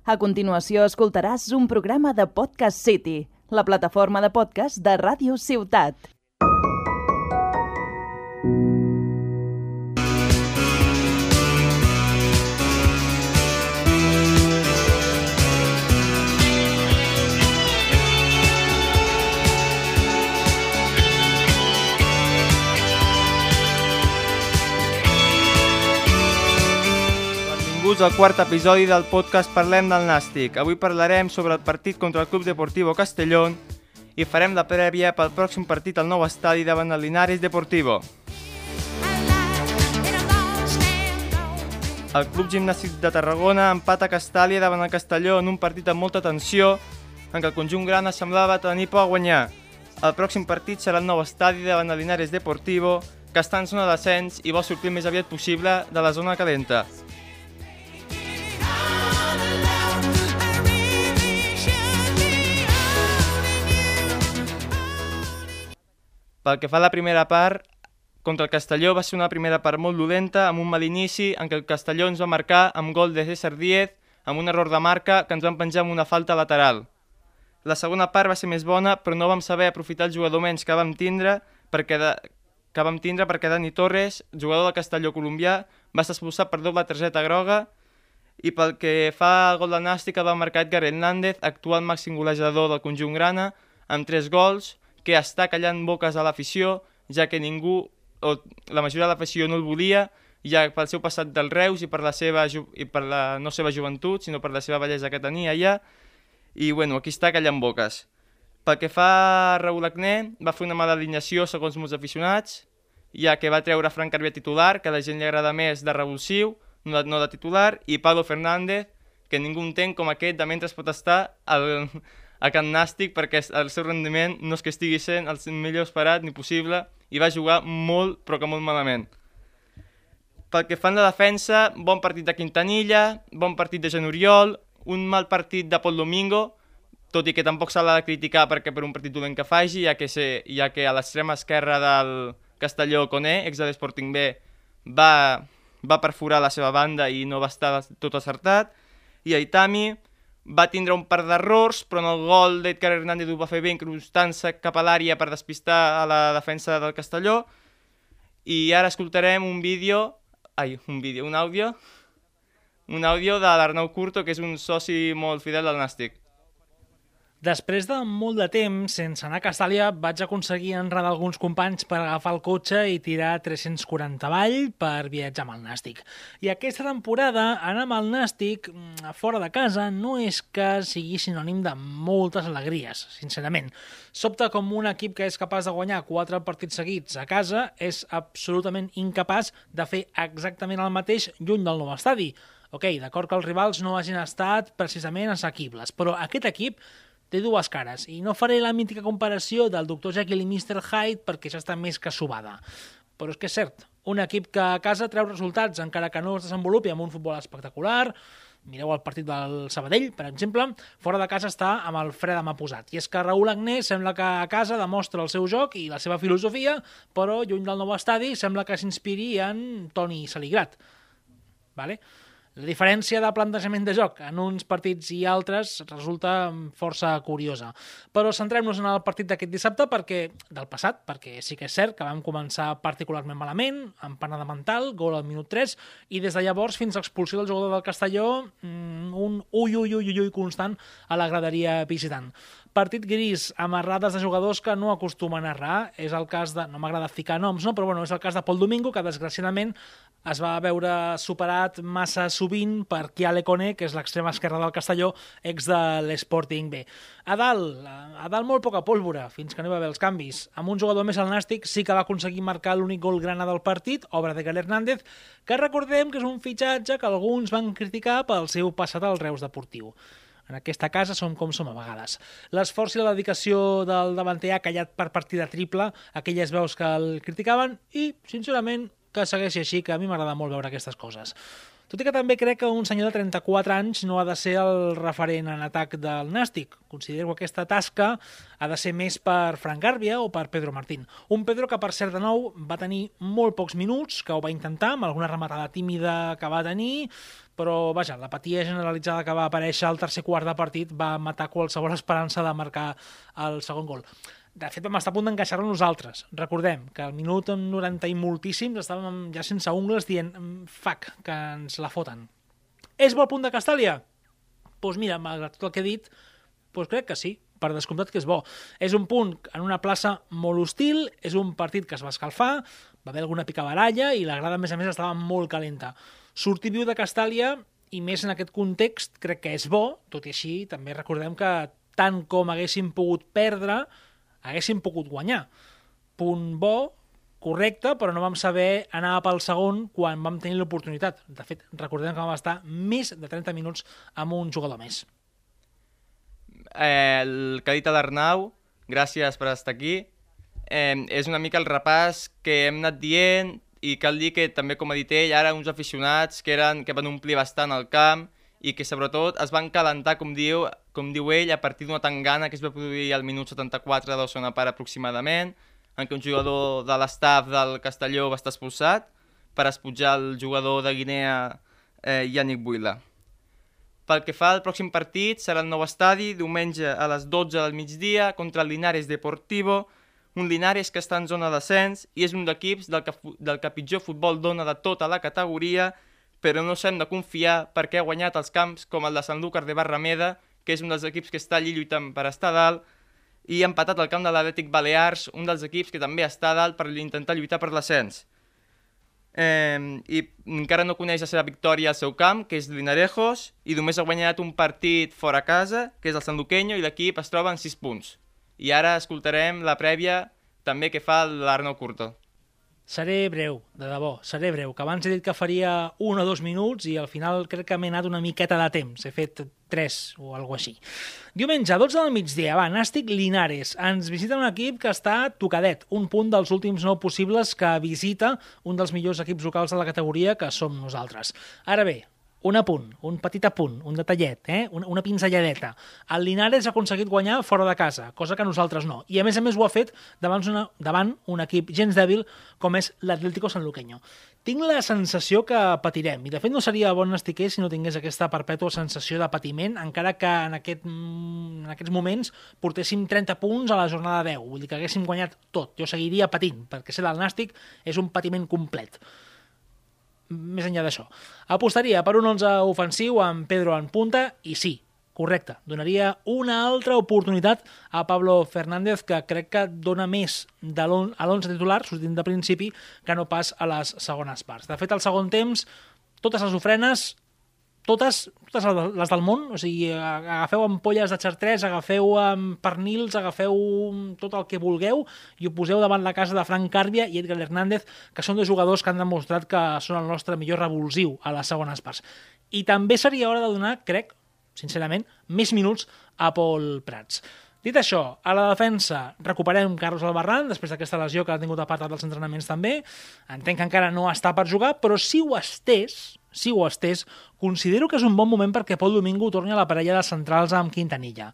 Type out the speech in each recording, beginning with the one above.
A continuació escoltaràs un programa de Podcast City, la plataforma de podcast de Ràdio Ciutat. Benvinguts al quart episodi del podcast Parlem del Nàstic. Avui parlarem sobre el partit contra el Club Deportivo Castellón i farem la prèvia pel pròxim partit al nou estadi davant el Linares Deportivo. El Club Gimnàstic de Tarragona empata a Castàlia davant el Castelló en un partit amb molta tensió en què el conjunt grana semblava tenir por a guanyar. El pròxim partit serà el nou estadi davant el Linares Deportivo, que està en zona d'ascens i vol sortir el més aviat possible de la zona calenta. Pel que fa a la primera part, contra el Castelló va ser una primera part molt dolenta, amb un mal inici en què el Castelló ens va marcar amb gol de César Díez, amb un error de marca que ens van penjar amb una falta lateral. La segona part va ser més bona, però no vam saber aprofitar el jugador menys que vam tindre perquè Dani Torres, jugador del Castelló colombià, va ser expulsat per doble targeta groga, i pel que fa al gol del Nàstic el va marcar Edgar Hernández, actual màxim golejador del conjunt grana, amb 3 gols, que està callant boques a l'afició, ja que ningú, o la majoria de l'afició no el volia, ja pel seu passat del Reus i per la no seva joventut, sinó per la seva bellesa que tenia allà, i bueno, aquí està callant boques. Pel que fa a Raúl Agné, va fer una mala alineació segons molts aficionats, ja que va treure Frank Carvià titular, que a la gent li agrada més de revulsiu, no de titular, i Pablo Fernández, que ningú entén com aquest de mentre pot estar a Can Nàstic, perquè el seu rendiment no és que estigui sent el millor esperat ni possible, i va jugar molt, però que molt malament. Pel que fan de defensa, bon partit de Quintanilla, bon partit de Jean Oriol, un mal partit de Pol Domingo, tot i que tampoc se l'ha de criticar perquè per un partit dolent que faci, ja que a l'extrema esquerra del Castelló Coné, ex de l'Sporting B, va perforar la seva banda i no va estar tot acertat, i Aitami va tindre un par d'errors, però en el gol d'Edgar Hernández ho va fer bé incrustant-se cap a l'àrea per despistar a la defensa del Castelló. I ara escoltarem un àudio de l'Arnau Curto, que és un soci molt fidel del Nàstic. Després de molt de temps sense anar a Castàlia vaig aconseguir enredar alguns companys per agafar el cotxe i tirar 340 avall per viatjar amb el Nàstic. I aquesta temporada anar amb el Nàstic fora de casa no és que sigui sinònim de moltes alegries, sincerament. Sobta com un equip que és capaç de guanyar 4 partits seguits a casa és absolutament incapaç de fer exactament el mateix lluny del nou estadi. Ok, d'acord que els rivals no hagin estat precisament assequibles, però aquest equip té dues cares, i no faré la mítica comparació del Dr. Jekyll i Mr. Hyde perquè ja està més que subada. Però és que és cert, un equip que a casa treu resultats encara que no es desenvolupi amb un futbol espectacular, mireu el partit del Sabadell, per exemple, fora de casa està amb el fre de mà posat. I és que Raúl Agné sembla que a casa demostra el seu joc i la seva filosofia, però lluny del nou estadi sembla que s'inspiri en Toni Saligrat. Vale? La diferència de plantejament de joc en uns partits i altres resulta força curiosa. Però centrem-nos en el partit d'aquest dissabte del passat, perquè sí que és cert que vam començar particularment malament, amb panada mental, gol al minut 3, i des de llavors fins a expulsió del jugador del Castelló, un ui constant a la graderia visitant. Partit gris, amb errades de jugadors que no acostumen a errar. És el cas de, no m'agrada ficar noms, no? Però bueno, és el cas de Pol Domingo, que desgraciadament es va veure superat massa sovint per Kiale Koné, que és l'extrema esquerra del Castelló, ex de l'Sporting B. A dalt molt poca pólvora, fins que no hi va haver els canvis. Amb un jugador més al Nàstic sí que va aconseguir marcar l'únic gol grana del partit, obra de Edgar Hernández, que recordem que és un fitxatge que alguns van criticar pel seu passat al Reus Deportiu. En aquesta casa som com som a vegades. L'esforç i la dedicació del davanter ha callat per partida triple aquelles veus que el criticaven i, sincerament, que segueixi així, que a mi m'agrada molt veure aquestes coses. Tot i que també crec que un senyor de 34 anys no ha de ser el referent en atac del Nàstic. Considero que aquesta tasca ha de ser més per Frank Carvià o per Pedro Martín. Un Pedro que, per cert, de nou, va tenir molt pocs minuts, que ho va intentar, amb alguna rematada tímida que va tenir, però vaja, l'apatia generalitzada que va aparèixer al tercer quart de partit va matar qualsevol esperança de marcar el segon gol. De fet, vam estar a punt d'encaixar-lo nosaltres. Recordem que al minut 90 i moltíssims estàvem ja sense ungles dient fuck, que ens la foten. És bo el punt de Castàlia? Doncs mira, malgrat tot el que he dit, doncs crec que sí, per descomptat que és bo. És un punt en una plaça molt hostil, és un partit que es va escalfar, va haver alguna picabaralla i la grada, a més, estava molt calenta. Sortir viu de Castàlia, i més en aquest context, crec que és bo, tot i així també recordem que tant com haguéssim pogut perdre, haguéssim pogut guanyar. Punt bo, correcte, però no vam saber anar pel segon quan vam tenir l'oportunitat. De fet, recordem que vam estar més de 30 minuts amb un jugador més. El que ha dit l'Arnau, gràcies per estar aquí, és una mica el repàs que hem anat dient i cal dir que també, com ha dit ell, ara uns aficionats que van omplir bastant el camp i que sobretot es van calentar, com diu ell, a partir d'una tangana que es va produir al minut 74 de la segona part aproximadament, en què un jugador de l'estaf del Castelló va estar expulsat per esputjar el jugador de Guinea, Yannick Buila. Pel que fa al pròxim partit, serà el nou estadi, diumenge a les 12 del migdia, contra el Linares Deportivo, un Linares que està en zona d'ascens i és un d'equips del que pitjor futbol dona de tota la categoria, però no s'hem de confiar perquè ha guanyat els camps com el de Sanlúcar de Barrameda, que és un dels equips que està allí lluitant per estar dalt, i ha empatat el camp de l'Atlètic Balears, un dels equips que també està dalt per intentar lluitar per l'ascens. I encara no coneix la seva victòria al seu camp, que és Linarejos, i només ha guanyat un partit fora casa, que és el Sanluqueño, i l'equip es troba en 6 punts. I ara escoltarem la prèvia també que fa l'Arnau Curto. Seré breu, de debò, seré breu, que abans he dit que faria 1 o 2 minuts i al final crec que m'he anat una miqueta de temps, he fet 3 o alguna així. Diumenge, 12 del migdia, Nàstic Linares. Ens visita un equip que està tocadet, un punt dels últims 9 possibles que visita un dels millors equips locals de la categoria, que som nosaltres. Ara bé, un apunt, un petit apunt, un detallet, una pinzelladeta. El Linares ha aconseguit guanyar fora de casa, cosa que nosaltres no. I a més ho ha fet davant un equip gens dèbil com és l'Atlético Sanluqueño. Tinc la sensació que patirem, i de fet no seria bon nastiquer si no tingués aquesta perpètua sensació de patiment, encara que en aquests moments portéssim 30 punts a la jornada 10, vull dir que haguéssim guanyat tot. Jo seguiria patint, perquè ser del Nàstic és un patiment complet. Més enllà d'això. Apostaria per un 11 ofensiu amb Pedro en punta i sí, correcte, donaria una altra oportunitat a Pablo Fernández, que crec que dona més a l'11 titular, sortint de principi, que no pas a les segones parts. De fet, al segon temps, totes les ofrenes, totes les del món, o sigui, agafeu ampolles de Chartres, agafeu pernils, agafeu tot el que vulgueu i ho poseu davant la casa de Frank Carbia i Edgar Hernández, que són 2 jugadors que han demostrat que són el nostre millor revulsiu a les segones parts. I també seria hora de donar, crec, sincerament, més minuts a Pol Prats. Dit això, a la defensa recuperem Carlos Albarrán, després d'aquesta lesió que ha tingut apartat dels entrenaments també. Entenc que encara no està per jugar, però si ho estés, considero que és un bon moment perquè Pol Domingo torni a la parella de centrals amb Quintanilla.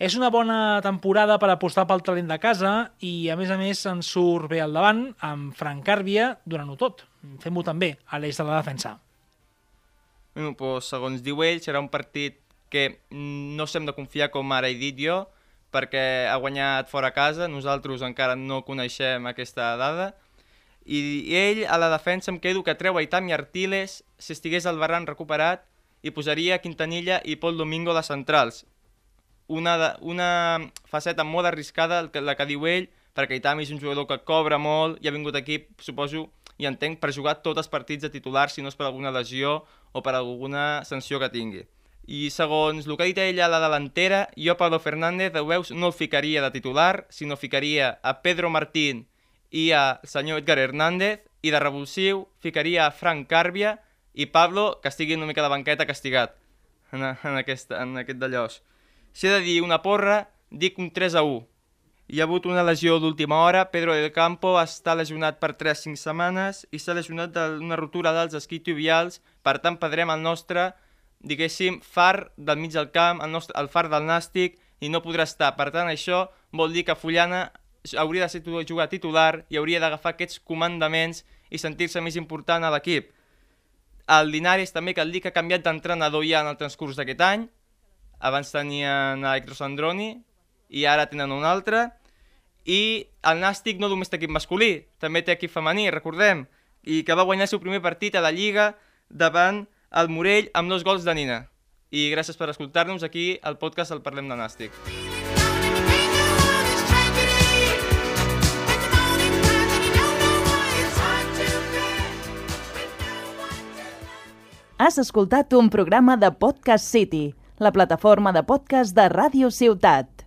És una bona temporada per apostar pel talent de casa i, a més, ens surt bé al davant amb Frank Carbia durant-ho tot. Fem-ho també a l'eix de la defensa. Bueno, doncs, segons diu ell, serà un partit que no s'hem de confiar, com ara he dit jo, perquè ha guanyat fora casa, nosaltres encara no coneixem aquesta dada, i ell a la defensa em quedo que treu Aitam i Artiles si estigués el Barran recuperat i posaria Quintanilla i Pol Domingo de centrals. Una faceta molt arriscada, la que diu ell, perquè Aitam és un jugador que cobra molt i ha vingut aquí, suposo, i entenc, per jugar tots els partits de titular, si no és per alguna lesió o per alguna sanció que tingui. I segons el que ha dit ell a la delantera, jo Pablo Fernández, ho veus, no el ficaria de titular, sinó ficaria a Pedro Martín i al senyor Edgar Hernández, i de revulsiu ficaria a Frank Carbia i Pablo, que estigui una mica de banqueta castigat en aquest d'allòs. Si he de dir una porra, dic un 3-1. Hi ha hagut una lesió d'última hora, Pedro del Campo està lesionat per 3-5 setmanes i s'ha lesionat d'una rotura dels isquiotibials, per tant perdrem el nostre, diguéssim, far del mig del camp, el far del Nàstic, i no podrà estar. Per tant, això vol dir que Fullana hauria de ser jugar titular i hauria d'agafar aquests comandaments i sentir-se més important a l'equip. El Linares també cal dir que ha canviat d'entrenador ja en el transcurs d'aquest any. Abans tenien Electros Androni i ara tenen un altre. I el Nàstic no només té equip masculí, també té equip femení, recordem, i que va guanyar el seu primer partit a la Lliga davant el Morell amb 2 gols de Nina. I gràcies per escoltar-nos aquí al podcast El Parlem de Nàstic. Has escoltat un programa de Podcast City, la plataforma de podcast de Ràdio Ciutat.